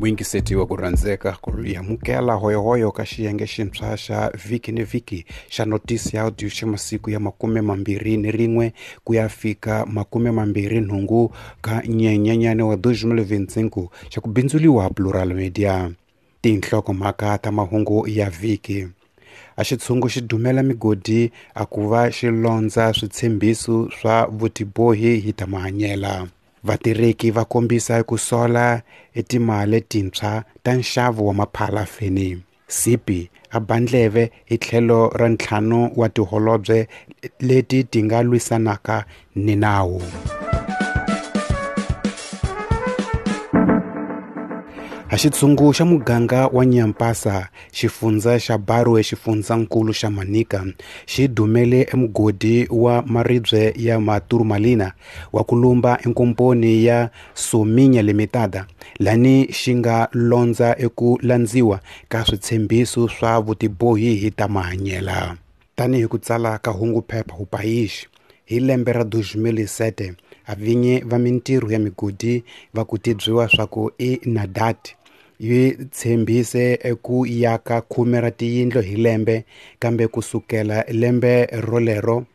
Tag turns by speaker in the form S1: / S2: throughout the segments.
S1: Muyingiseti wa ku rhandzeka ku amukela hoyohoyo ka xiyenge xintshwa xa vhiki ni vhiki xa notisi ya audio xa masiku ya 21 ku ya fika 28 ka Nyenyenyane wa 2025 xa ku bindzuliwa Plural Media. Tinhlokomhaka ta mahungu ya vhiki. A xitshungu xi dumela migodi a ku va xi londza switshembiso swa vutibohi hi ta mahanyela. Vatirheki va kombisa ku sola etimali tintshwa ta nxavo wa maphalafeni. Sipi a ba ndleve hi tlhelo ra ntlhanu wa tiholobye leti ti nga lwisanaka ni nawu. A xitshungu xa muganga wa Nyampasa, xifundza xa Barwe xifundzankulu xa Manica, xi dumele emugodi wa maribye ya Maturmalina wa ku lumba enkomponi ya Sominya Limitada, lani xi nga londza eku landziwa ka switshembiso swa vutibohi hi ta mahanyela. Tanihi ku tsala ka hunguphepha O País, hi lembe ra 2007, avinyi va mintirho ya migodi va ku tibyiwa swa ku i Nadat yi tshembise eku yaka 10 ra tiyindlu hi lembe, kambe kusukela lembe rolero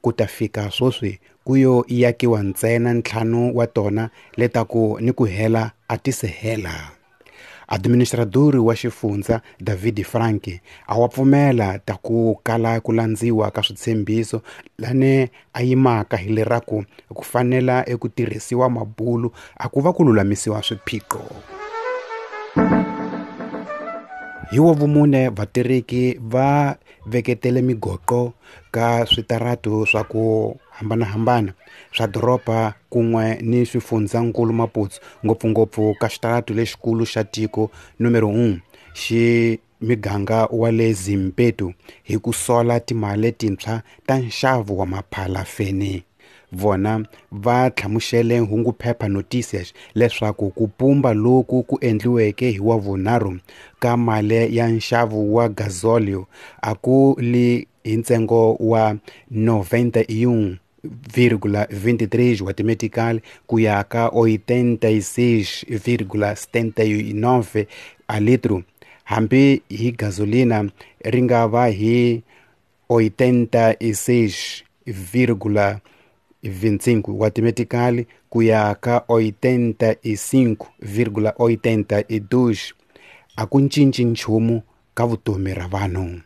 S1: ku ta fika sweswi ku yo yakiwa ntsena 5 wa tona letaku ni ku hela a ti se hela. Administradori wa xifundza David Frank a wa pfumela ta ku kala ku landziwa ka switshembiso lane a yimaka hi leraku ku fanela eku tirhisiwa mabulu a ku va ku lulamisiwa swiphiqo. Hi wa vumune vatirheki va veketele migoqo ka switaratu swa ku hambanahambana swa doroba kun'we ni swifundzankulu Maputo, ngopfungopfu ka xitaratu lexikulu xa tiko numero 1 xi miganga wa le Zimpeto hi ku sola timali tintshwa ta nxavo wa maphalafeni. Vona va hlamusele hunguphepha Noticias leswaku ku pumba loku ku endliweke hi wa vunharhu ka mali ya nxavo wa gasolio a ku li hi ntsengo wa 91,23 wa timetical ku ya ka 86,79 a litro, hambi hi gasolina ri nga va hi 86,25 wa timetical ku ya ka 85,82 a ku cinci nchumu ka vutomi ra vanhu.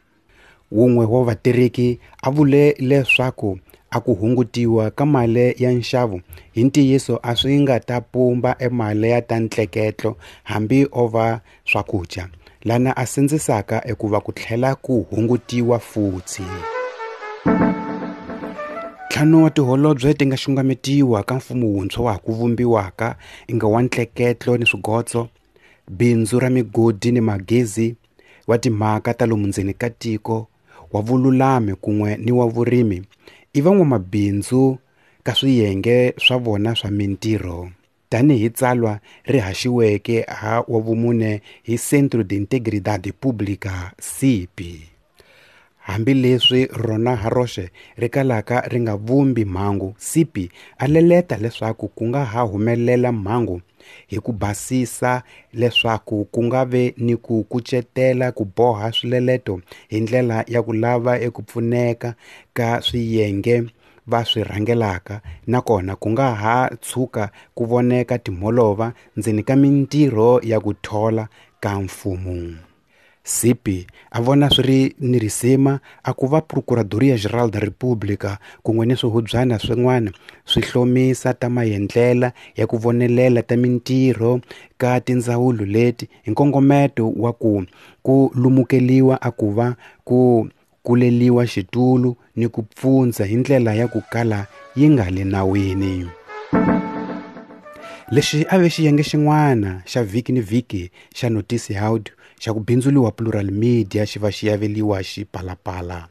S1: Wun'we wa vatirheki a vule leswaku a ku hungutiwa ka mali ya nxavo hi ntiyiso a swi nga ta pumba emali ya ta ntleketlo hambi o va swakudya, lana a sindzisaka ekuva ku tlhela ku hungutiwa futhi. 5 wa tiholobye ti nga xungametiwa ka mfumo wuntshwa wa ha ku vumbiwaka inga wa ntleketlo ni swigotso, bindzu ra migodi ni magezi, wa timhaka ta lomu ndzeni ka tiko, wa vululami kun'we ni wa vurimi, i van'wamabindzu ka swiyenge swa vona swa mintirho. Tanihi tsalwa ri haxiweke ha wa vumune hi Centro de Integridade Pública, CIP. Hambileswi rona ha roxe ri kalaka ri nga vumbi mhangu, CIP a leleta leswaku ku nga ha humelela mhangu hi ku basisa leswaku ku nga ve ni ku kucetela ku boha swileleto hi ndlela ya ku lava eku pfuneka ka swiyenge va swi rhangelaka, nakona ku nga ha tshuka ku voneka timholova ndzeni ka mintirho ya ku thola ka mfumo. CIP a vona swi ri ni risima a ku va Procuradoria Geral da República kun'we ni swihubyana swin'wana swi hlomisa ta maendlela ya ku vonelela ta mintirho ka tindzawulo leti hi nkongometo wa ku ku lumukeliwa a ku va ku kuleliwa xitulu ni ku pfundza hi ndlela ya ku kala yi nga le nawini. Lexi a ve xiyenge xin'wana xa vhiki ni vhiki xa Notisi Audio xa ku bindzuliwa Plural Media xi va xi yaveliwa xipalapala.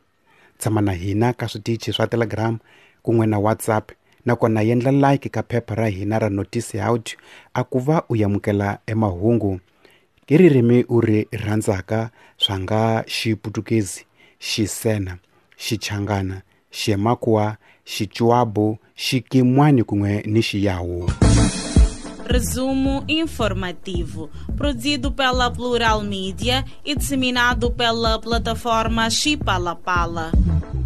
S1: Tshama na hina ka switichi swa Telegram kun'we na WhatsApp, nakona yendla like ka phepha ra hina ra Notisi Audio a ku va u yamukela emahungu hi ririmi u ri rhandzaka swa nga Xiputukezi, Xisena, Xichangana, Ximakwa, Xichuabu, Xikimwani kun'we ni Xiyawu.
S2: Resumo informativo, produzido pela Plural Mídia e disseminado pela plataforma Chipalapala. Pala.